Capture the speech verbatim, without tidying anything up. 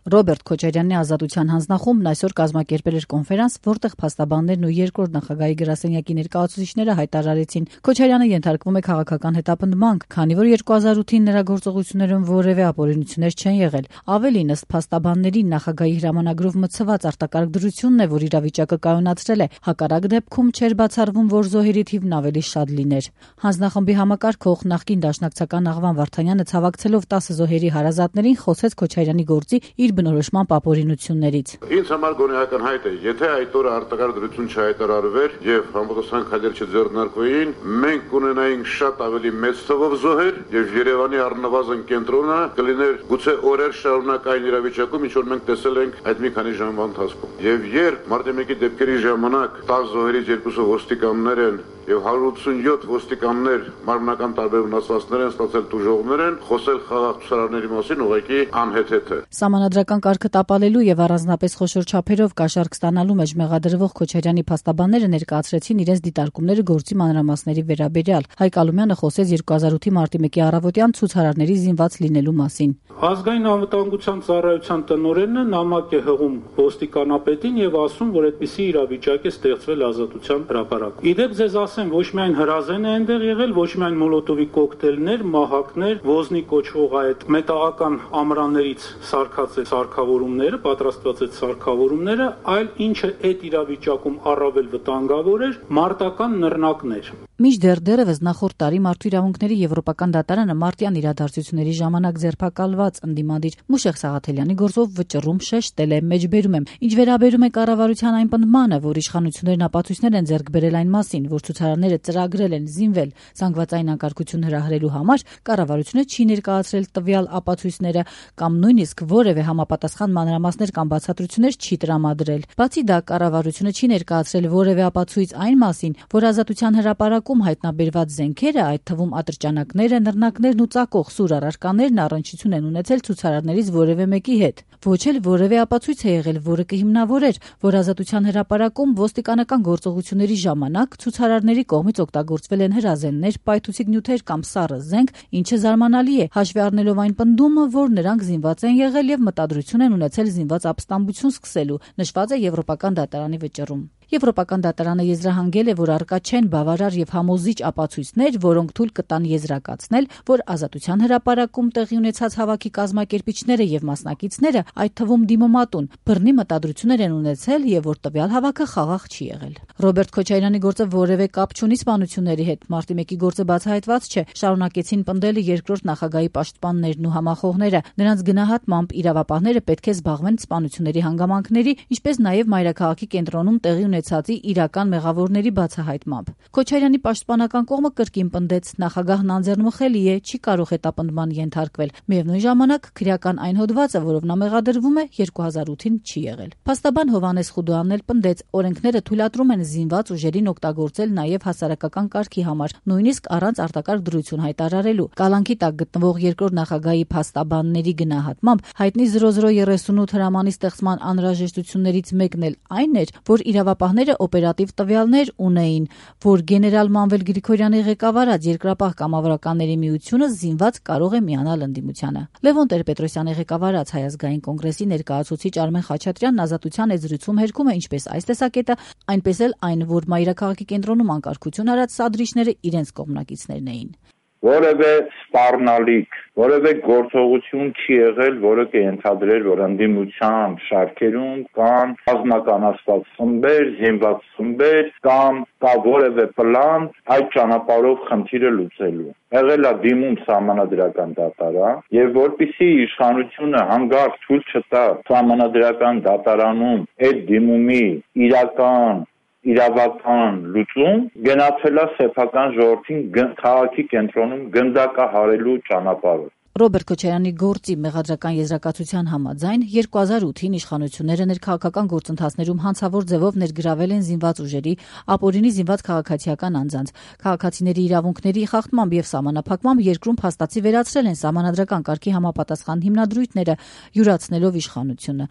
Ռոբերտ Քոչարյանի ազատության հանձնախումբն այսօր կազմակերպել էր կոնֆերանս, որտեղ փաստաբաններն ու երկրորդ նախագահի գրասենյակի ներկայացուցիչները հայտարարեցին. Քոչարյանը ենթարկվում է քաղաքական հետապնդման, քանի որ երկու հազար ութին նրա գործողություններում որևէ ապօրինություններ չեն եղել։ Ավելին, ըստ փաստաբանների, նախագահի հրամանագրով մտցված արտակարգ դրությունն է, որ իրավիճակը կայունացրել է։ Հակառակ դեպքում չէր բացառվում, որ զոհերի թիվն ավելի շատ լիներ։ Հանձնախմբի համակարգող նախկին դաշնակցական Աղվան Վարդանյանը ցավակցելով տասը զոհերի հարազատներին խոսեց Քոչարյանի գործի իր բնորոշման ապօրինություններից։ Ինձ համար գոնեական հայտ է, եթե այդ օրը արտակարգ դրություն չհայտարարվեր եւ համապատասխան քայլեր չձեռնարկվեին, մենք կունենայինք շատ ավելի մեծ թվով զոհեր եւ Երևանի առնվազն կենտրոնը կլիներ գուցե օրեր շարունակ այն իրավիճակում, ինչ որ մենք տեսել ենք այդ մի քանի ժամվա ընթացքում։ Եվ երբ մարտի մեկի դեպքերի ժամանակ տասը զոհերից երկուսը ոստիկաններ են եւ հարյուր ութսունյոթ ոստիկաններ մարմնական տարբեր վնասվածքներ են ստացել, տուժողներ են, խոսել խաղաղ ցուցարարների մասին ուղղակի անհեթեթ է։ Սահմանադրական կարգը տապալելու եւ առանձնապես խոշոր չափերով կաշառք ստանալու մեջ մեղադրվող Քոչարյանի փաստաբանները ներկայացրեցին իրենց դիտարկումները գործի մանրամասների վերաբերյալ։ Հայկ Ալումյանը խոսեց երկու հազար ութի մարտի մեկի առավոտյան ցուցարարների զինված լինելու մասին։ Ազգային անվտանգության ծառայության տնօրենը նամակ է հղում ոստիկանապետին եւ ասում, որ այդպիսի իրավիճակ է ստեղծվել Ազատության հրապարակում։ Իդեպ ձեզ ասեմ, ոչ միայն հրազեն է այնտեղ եղել, ոչ միայն մոլոտովի կոկտեյլներ, մահակներ, ոզնի կոչվող այդ մետաղական ամրաններից սարքած է սարքավորումները, պատրաստված է սարքավորումները, այլ ինչը այդ իրավիճակում առավել վտանգավոր էր, մարտական նռնակներ։ Մինչդեռ դեռևս նախորդ տարի Մարդու իրավունքների Եվրոպական դատարանը մարտյան իրադարձությունների ժամանակ ձերբակալված ընդդիմադիր Մուշեղ Սաղաթելյանի գործով վճռում շեշտել է, մեջբերում եմ, ինչ վերաբերում է կառավարության այն պնդմանը, որ իշխանություններն ապացույցներ են ձեռք բերել այն մասին, որ ցուցարարները ծրագրել են զինվել զանգվածային անկարգություն հրահրելու համար, կառավարությունը չի ներկայացրել տվյալ ապացույցները կամ նույնիսկ որևէ համապատասխան մանրամասներ կամ բացատրություններ չի տրամադրել։ Բացի դա, կառավարությունը չի ներկայացրել որևէ ապացույց այն մասին, որ Ազատության հրապարակում հայտնաբերված զենքերը, այդ թվում ատրճանակները, նռնակներն ու ծակող սուր առարկաներն առնչություն են ունեցել ցուցարարներից որևէ մեկի հետ։ Ոչ էլ որևէ ապացույց է եղել, որը կհիմնավորեր, որ Ազատության հրապարակում ոստիկանական գործողությունների ժամանակ ցուցարարների կողմից օգտագործվել են հրազեններ, պայթուցիկ նյութեր կամ սառը զենք, ինչը զարմանալի է, հաշվի առնելով այն պնդումը, որ նրանք զինված են եղել եւ մտադրություն են ունեցել զինված ապստամբություն սկսելու, նշված է Եվրոպական դատարանի վճռում։ Եվրոպական դատարանը եզրահանգել է, որ առկա չեն բավարար եւ համոզիչ ապացույցներ, որոնք թույլ կտան եզրակացնել, որ Ազատության հրապարակում տեղի ունեցած հավաքի կազմակերպիչները եւ մասնակիցները, այդ թվում դիմոմատուն, բռնի մտադրություններ են ունեցել եւ որ տվյալ հավաքը խաղաղ չի եղել։ Ռոբերտ Քոչարյանի գործը որևէ կապ չունի սպանությունների հետ, մարտի մեկի գործը բացահայտված չէ, շարունակեցին պնդել երկրորդ նախագահի պաշտպաններն ու համախոհները։ Նրանց գնահատմամբ իրավապահները պետք է զբաղվեն սպանությունների հանգամանքների, ինչպես նաեւ մայրաքաղաքի կենտրոնում տեղի ունեցածի իրական մեղավորների բացահայտմամբ։ Քոչարյանի պաշտպանական կողմը կրկին պնդեց, նախագահն անձեռնմխելի է, չի կարող հետապնդման ենթարկվել։ Միևնույն ժամանակ քրեական այն հոդվածը, որով նա մեղադրվում է, երկու հազար ութին չի եղել։ Փաստաբան Հովհաննես Խուդոյանն էլ պնդեց, օրենքները թույլատրում են զինված ուժերին օգտագործել նաև հասարակական կարգի համար, նույնիսկ առանց արտակարգ դրություն հայտարարելու։ Կալանքի տակ գտնվող երկրորդ նախագահի փաստաբանների գնահատմամբ հայտնի զրո զրո երեսունութ հրամանի ստեղծման անհրաժեշտություններից մեկն էլ այն էր, որ իրավապահները օպերատիվ տվյալներ ունեին, որ գեներալ Մանվել Գրիգորյանի ղեկավարած Երկրապահ կամավորականների միությունը զինված կարող է միանալ ընդդիմությանը։ Լևոն Տեր-Պետրոսյանի ղեկավարած Հայ ազգային կոնգրեսի ներկայացուցիչ Արմեն Խաչատրյանն Ազատության եզրույցում հերքում է ինչպես այս տեսակետը, այնպես էլ այն, որ մայրաքաղաքի կենտրոնում անկարգություն արած սադրիչները իրենց կողմնակիցներն էին։ Որևէ սպառնալիք, որևէ գործողություն չի եղել, որը կենթադրեր, որ ընդդիմության շարքերում կան ռազմականացված խմբեր, զինված խմբեր կամ կա որևէ պլան այդ ճանապարհով խնդիրը լուծելու։ Եղել է դիմում սահմանադրական դատարան, եւ որպիսի իշխանությունը հանգարց թույլ չտա սահմանադրական դատարանում այդ դիմումի իրական իրավական լուծում գնացել է սեփական ժողովրդին քաղաքի կենտրոնում գնդակահարելու ճանապարհով։ Ռոբերտ Քոչարյանի գործի մեղադրական եզրակացության համաձայն երկու հազար ութին իշխանությունները ներքաղաքական գործընթացներում հանցավոր ձևով ներգրավել են զինված ուժերի, ապօրինի զինված քաղաքացիական անձանց։ Քաղաքացիների իրավունքների խախտմամբ եւ սահմանափակմամբ երկրում փաստացի վերացրել են սահմանադրական կարգի համապատասխան հիմնադրույթները, յուրացնելով իշխանությունը։